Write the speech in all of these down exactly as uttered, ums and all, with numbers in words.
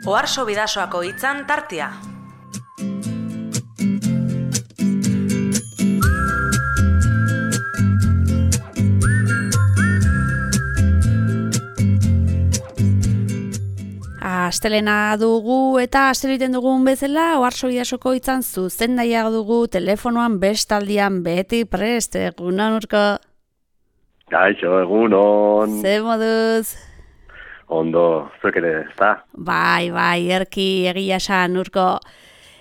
Oharso Bidasoako hitzan tartea. Astelena dugu eta asteliten dugun bezala Oharso Bidasoko hitzan zuzendaia dugu telefonoan bestaldian beti prest. Egunon, Urko. Gaixo, egunon. Ze moduz? Ondo, zuek ere, ezta? Bai, bai, erki egia esan, Urko.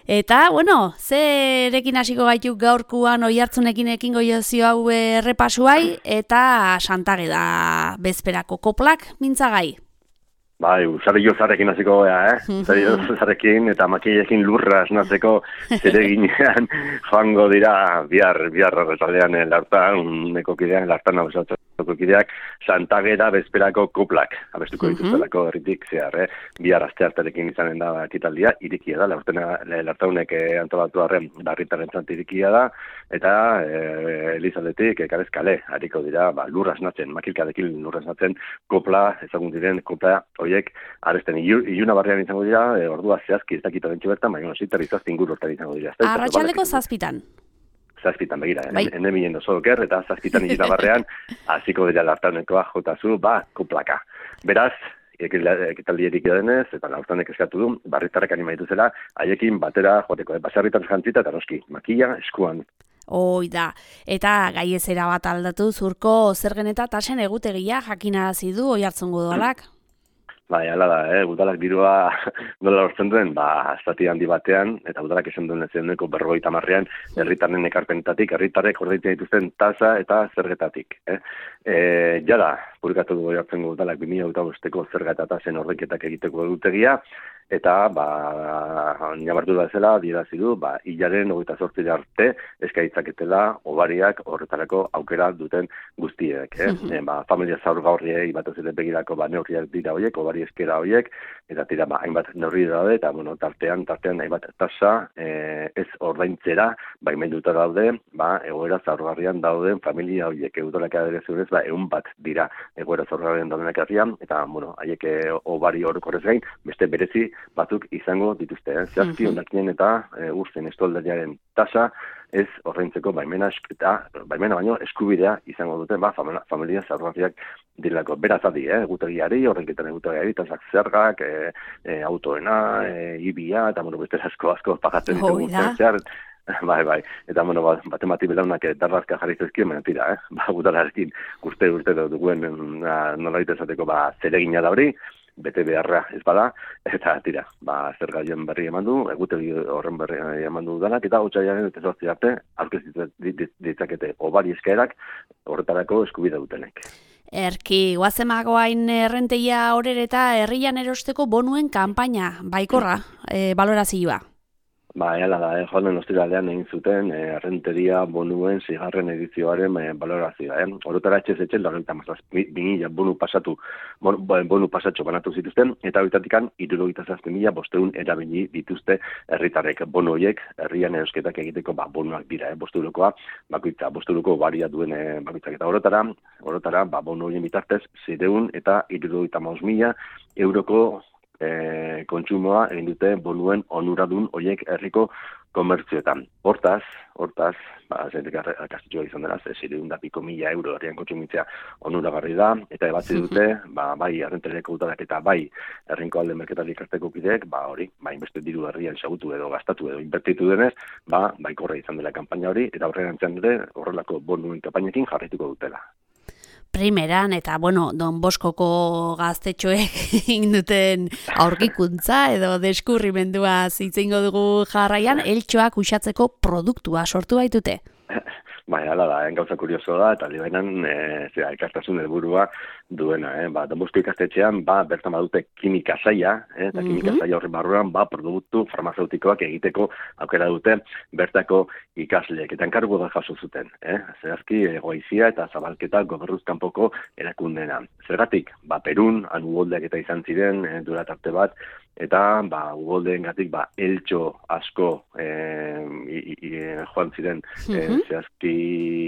Eta, bueno, zerekin hasiko gaituk gaurkuan oihartzunekin ekingo jozio hau errepasuai, eta Santage da bezperako koplak mintzagai. Bai, usare jozarekin hasiko gea, eh? Usare jozarekin eta makilekin lurra esnatzeko zereginean joango dira bihar, bihar arratsaldean lartan, uneko kidean, lartan abesatzeko kideak, Santage da bezperako koplak, abestuko dituztelako herritik zehar, eh? Bihar astearterekin izanen da ekitaldia, irikia da, lartaunek antolatu arren barritarentzat irikia da, eta e, Elizaletik ekarez kale, hariko dira, ba, lurra esnatzen, makilkadekin lurra esnatzen, kopla, ezagun diren kopla, horiek, aresten iluna barrian izango dira, e, ordua zehazki ez dakita bentsu bertan, baina zitar izazti ingur hortan izango dira. Arratxaldeko zazpitan. Zazpitan, begira, bai. Ene minen oso oker, eta zazpitan iluna barrean, hasiko dira lartaunekoa jotazu, ba, koplaka. Beraz, ekitaldierik denez, eta laurtanek eskatu du, barritarrek animaitu zela, haiekin batera joteko, basarritan jantzita eta noski, makila eskuan. Hoi da, eta gaiezera bat aldatu zurko zergen eta tasen egutegia jakinarazi du oihartzungo dualak. Bai, hala da, eh? Udalak dirua nola lortzen duen, ba, estati handi batean, eta udalak esan duen ezeneko berrogeita marrean, herritarren ekarpenetatik, herritarrek ordaintzen dituzten tasa eta zergetatik. Eh? E, jada, publikatu dugu jartzen udalak bi mila bosteko zerga eta tasen ordainketak egiteko egutegia, eta, ba, nabartu da zela, dierazi du, ba, hilaren hogeita zortzi arte eskaitzaketela obariak horretarako aukera duten guztiek. Eh? E, ba, familia zaurgaurriei bat ez ere begirako ba, neurriak dira horiek, obari eskera horiek, eta tira, ba, hainbat neurri daude, eta, bueno, tartean, tartean hainbat tasa e, ez ordaintzera, ba, imenduta daude, ba, egoera zaurgarrian dauden familia horiek, eudolak adere zurez, ba, egun bat dira egoera zaurgarrian daudenak herrian, eta, bueno, haiek obari orokorrez gain, beste berezi batzuk izango dituzte. Eh? Zehazki, ondakinen eta e, urzen estoldariaren tasa ez ordaintzeko baimena eta baimena baino eskubidea izango dute, ba, familia zaurgarriak direlako. Beraz adi, eh? egutegiari, horrenketan egutegiari, tasak zergak, e, e, autoena, e, ibia, eta bueno, beste asko asko pagatzen ditugu zehar. Bai, bai, eta bueno, batemati belaunak darrazka jarri zezkien, baina tira, eh? ba, gutararekin urte urte duguen nola ditezateko ba, zeregina da hori, bete beharra ez bada, eta tira, ba, zer gaien berri eman du, egutegi horren berri eman du danak, eta otsailaren eta zortzi arte, aurkeztu ditzakete obari eskaerak horretarako eskubide dutenek. Erki, guazemagoain errenteia horrer eta herrian erosteko bonuen kanpaina, baikorra, e, balorazioa. Ba, hala da, eh, joan den ostiralean egin zuten eh, errenteria bonuen zigarren edizioaren eh, balorazioa. Eh? Orotara etxez etxe, laurogeita hamazazpi mila bonu pasatu, bon, bonu pasatxo banatu zituzten, eta horretatik hirurogeita zazpi mila bostehun erabili dituzte herritarrek. Bonu horiek, herrian erosketak egiteko ba, bonuak dira, eh? bosturokoa, bakoitza, bosturuko baria duen eh, bakoitzak. Eta horretara, horretara ba, bonu horien bitartez, zireun eta hirurogeita hamabost mila euroko E, kontsumoa egin dute bonuen onuradun horiek herriko komertzioetan. Hortaz, hortaz, ba, zentek akastitxoa izan dela, zireun da piko mila euro herrian kontsumitzea onuragarri da, eta ebatzi dute, ba, bai errenteriako utarak eta bai herrinko alde merketari ikasteko kideek, ba, hori, ba, inbeste diru herrian xagutu edo gastatu edo inbertitu denez, ba, baikorra izan dela kanpaina hori, eta horrean entzan dute horrelako bonuen kanpainekin jarraituko dutela. Primeran, eta, bueno, Don Boskoko gaztetxoek egin duten aurkikuntza edo deskurrimendua zitzeingo dugu jarraian, eltxoak uxatzeko produktua sortu baitute. Bai, hala da, eh? gauza kurioso da, eta libainan e, zera, ikastasun helburua duena. Eh? Ba, Don Bosko ikastetxean, ba, bertan badute kimika saia, eh? eta kimika saia horren barruan, ba, produktu farmazeutikoak egiteko aukera dute bertako ikasleek. Eta enkargu da jaso zuten, eh? Zehazki, egoizia eta zabalketa gobernuzkanpoko erakundena. Zergatik, ba, Perun, han ugoldeak eta izan ziren, eh, durat arte bat, eta ba, ugoldeen gatik ba, eltxo asko eh, i, i, joan ziren eh, zehazki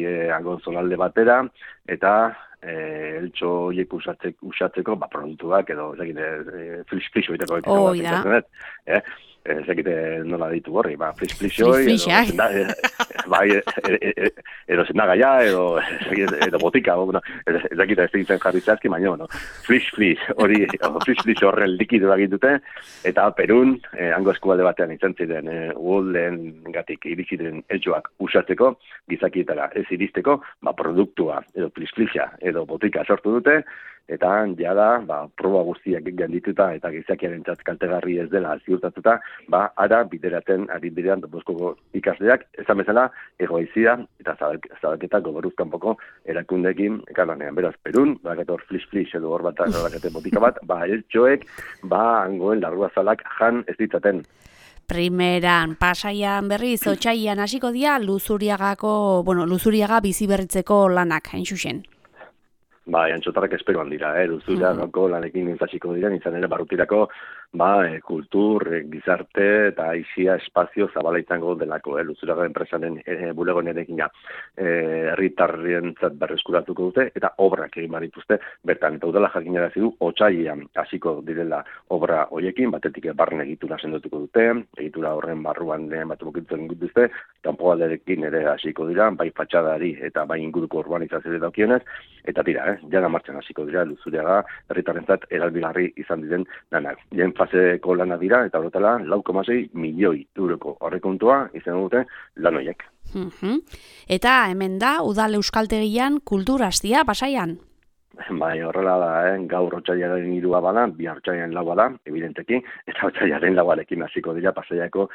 eh, agon zonalde batera, eta eh, eltxo horiek usatzeko, usatzeko ba, produktuak edo eh, flish-flish oiteko oh, da. eh? Ezakite nola ditu horri, ba, flish-flish-oi, edo, bai, edo zendagaia, edo, edo botika, bueno, ezakite ez egiten jarri zazki, baina, no, flish-flish, hori, flish-flish horren likidu egitute, eta Perun, eh, hango eskualde batean izan ziren, eh, uolden gatik iriziren eltsuak usatzeko, gizakietara ez iristeko, ba, produktua, edo flish-flisha, edo botika sortu dute, eta jada, ba, proba guztiak gendituta eta gizakiaren kaltegarri ez dela ziurtatuta, ba, ara bideraten, ari bideran Donboskoko ikasleak, esan bezala, egoizia eta zabalketa goberuzkanpoko erakundekin ekalanean. Beraz, Perun, bakator flish-flish edo hor bat bakate botika bat, ba, eltxoek, ba, hangoen larruazalak jan ez ditzaten. Primeran, Pasaian berriz, Otsailean hasiko dira Luzuriagako, bueno, Luzuriaga bizi berritzeko lanak, hain zuzen. Ba, antxotarrak esperoan dira, eh? Luzuriagako lanekin nintzatxiko dira, nintzen ere barrutirako, ba, e, kultur, e, gizarte eta aisia espazio zabala izango delako, eh? Luzuriaga enpresaren e, bulegonerekin ja, herritarrientzat berreskuratuko dute, eta obrak egin barituzte, bertan, eta udala jakinarazi du, Otsailean hasiko direla obra hoiekin, batetik barren egitura sendotuko dute, egitura horren barruan bat bukitzen dituzte, kanpoalderekin ere hasiko dira, bai fatxadari eta bai inguruko urbanizazio daukionez, eta tira, eh? Jana martxan hasiko dira, Luzuriaga herritarrentzat eralbigarri izan diren lanak. Lehen faseko lana dira, eta horretala, lau koma sei milioi euroko horrekontua izan dute lan horiek. Uh-huh. Eta hemen da, Udal Euskaltegian kulturastia, Pasaian? Bai, horrela da, eh? Gaur Otsailaren hirua bada, bi Otsailaren laua da, evidenteki, eta Otsailaren lauarekin hasiko dira Pasaiako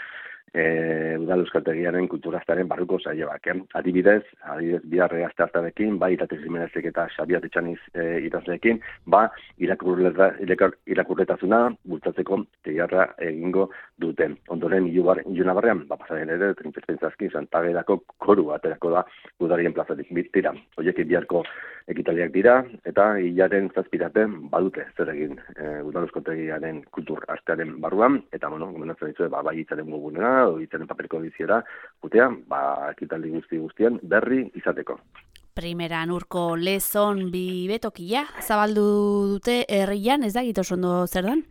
E, Udal Euskaltegiaren kulturaztaren barruko saioak. Eh? Adibidez, adibidez biharre asteartarekin, bai Iratez Jimenezek eta Xabier Etxaniz e, idazleekin, ba irakurletasuna bultzatzeko teiarra egingo duten. Ondoren iluna barrean, ba pasaren ere, trintzezpentzazki, Santagedako koru aterako da Udarien plazatik bitira. Oiekin biharko ekitaliak dira, eta hilaren zazpiraten badute zer egin e, Udal Euskaltegiaren kultur astearen barruan, eta bueno, gomendatzen ditu, ba, bai itzaren gugunera, o itzaren paperiko biziera, gutea, ba, ekitaldi guzti guztien berri izateko. Primeran urko lezon bi betokia, zabaldu dute herrian, ez da egito ondo zer dan?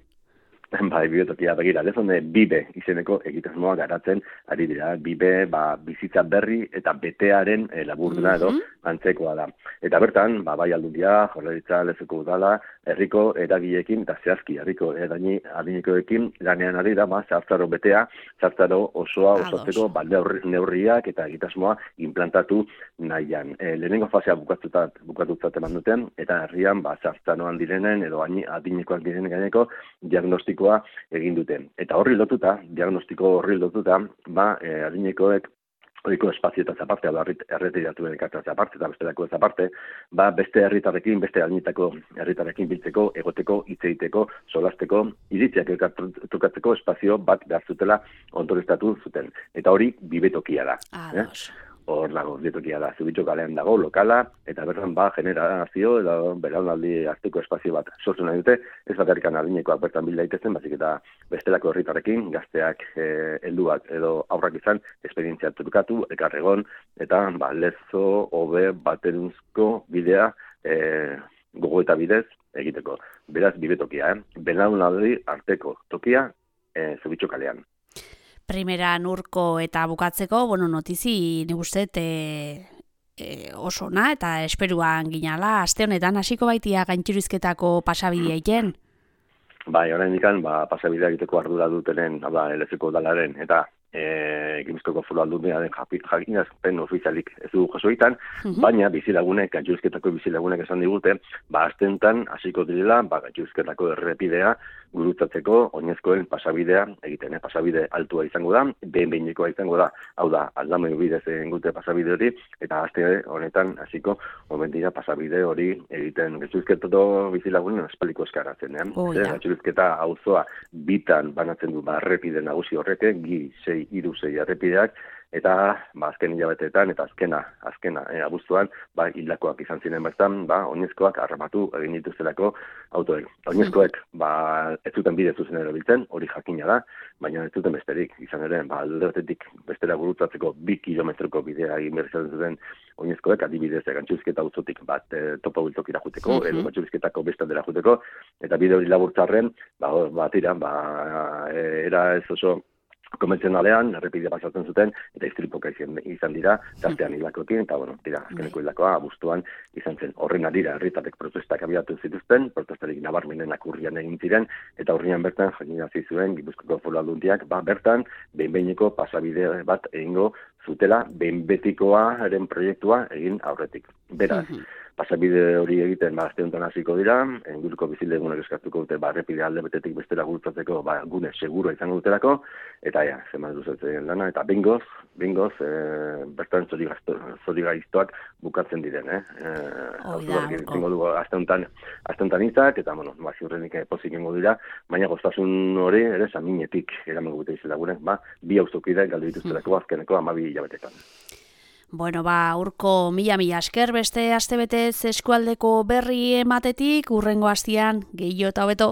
Bai, bibetokia begira, lezonde bibe izeneko egitasmoa garatzen ari dira. Bibe, ba, bizitza berri eta betearen e, laburduna edo antzekoa da. Eta bertan, ba, bai aldundia, Jaurlaritza, Lezoko Udala, herriko eragileekin eta zehazki herriko eraini adinekoekin lanean ari da, ba, zartzaro betea, zartzaro osoa osatzeko ba, neurriak eta egitasmoa implantatu nahian. E, lehenengo fasea bukatutat, bukatutat eman duten, eta herrian, ba, zartzaroan direnen edo adinekoak direnen gaineko diagnostiko egin duten. Eta horri lotuta, diagnostiko horri lotuta, ba, eh, adinekoek horiko espazioetaz aparte, erretiratuen ekartaz aparte, eta bestelako ez aparte, ba, beste herritarrekin, beste adinetako herritarrekin biltzeko, egoteko, hitz egiteko, solasteko, iritziak trukatzeko espazio bat behar zutela ondoreztatu zuten. Eta hori bibetokia da. Eh? Hor dago, bibetokia da. Zubitxo kalean dago, lokala, eta bertan ba, generazio, edo belaunaldi arteko espazio bat sortu nahi dute, ez bakarrikan adinekoak bertan bil daitezen, bazik eta bestelako herritarrekin, gazteak, eh, helduak edo aurrak izan, esperientzia trukatu, ekarregon, eta ba, lezo, hobe, baterunzko bidea, eh, gogo eta bidez egiteko. Beraz, bibetokia, eh? Belaunaldi arteko tokia, eh, Zubitxo kalean. Primeran urko eta bukatzeko, bueno, notizi, nik uste, e, e, oso na, eta esperuan ginala, aste honetan hasiko baitia gaintxurizketako pasabidea iten? Bai, orain ikan, ba, pasabidea egiteko ardura dutenen, ba, Lezoko Udalaren, eta e, Gipuzkoako Foru Aldundiaren jakinazpen ofizialik ez du jasoitan, uh-huh. Baina bizilagunek, gaintxurizketako bizilagunek esan digute, ba, astentan hasiko direla, ba, gaintxurizketako errepidea gurutzatzeko oinezkoen pasabidea egiten, eh? Pasabide altua izango da, behin-behinekoa izango da, hau da, aldamoi bidez egin gute pasabide hori, eta aste honetan hasiko omen dira pasabide hori egiten. Gaintxurizketako bizilagunen espaliko eskaratzen, eh? Oh, ja. Gaintxurizketa auzoa bitan banatzen du, ba, errepide nagusi horrek, gi sei hiru sei errepideak, eta ba, azken hilabeteetan, eta azkena, azkena, e, abuztuan, ba, hildakoak izan ziren bertan, ba, oinezkoak harrapatu egin dituztelako autoek. Oinezkoek, ba, ez zuten bide zuzen erabiltzen, hori jakina da, baina ez zuten besterik, izan ere, ba, alde batetik bestera gurutzatzeko bi kilometroko bidea egin behar izan zuten oinezkoek, adibidez, Gantxurizketa auzotik bat e, topa bultokira juteko, edo Gantxurizketako bestaldera juteko, eta bide hori laburtzarren, ba, ba, tira, ba, e, era ez oso konbentzionalean, errepidea pasatzen zuten, eta istripoka izan, izan dira, tartean hilakoekin, eta, bueno, tira, azkeneko hilakoa, abuztuan izan zen. Horren adira, herritarrek protestak abiatu zituzten, protestarik nabarmenenak urrian egin ziren, eta urrian bertan jakinazi zuen, Gipuzkoako Foru Aldundiak, ba, bertan, behin-behineko pasabide bat egingo zutela, behin betikoaren proiektua egin aurretik. Beraz, pasabide hori egiten ba, aste honetan hasiko dira, inguruko bizilagunak eskatuko dute, ba, errepide alde betetik bestera gurutzatzeko, ba, gune seguro izango dutelako, eta ja, zeman luzatzen lana, eta bingoz, bingoz, e, bertan zori gaiztoak bukatzen diren, eh? E, Zingo dugu aste honetan, aste honetan izak, eta, bueno, ba, ziurrenik pozik ingo dira, baina goztasun hori, ere, saminetik eramango gute bizilagunak, ba, bi hauzokide galdu dituztelako azkeneko hamabi hilabetetan. Bueno, ba, urko mila-mila esker beste astebetez eskualdeko berri ematetik, urrengo hastian gehiago eta hobeto.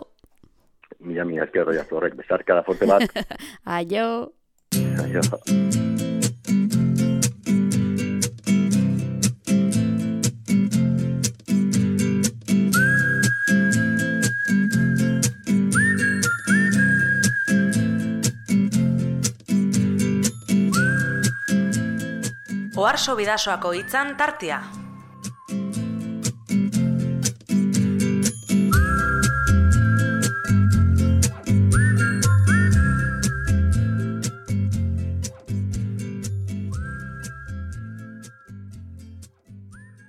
Mila-mila esker roiaz horrek, besarkada forte bat. Aio. Aio. Oharso Bidasoako hitzan tartea.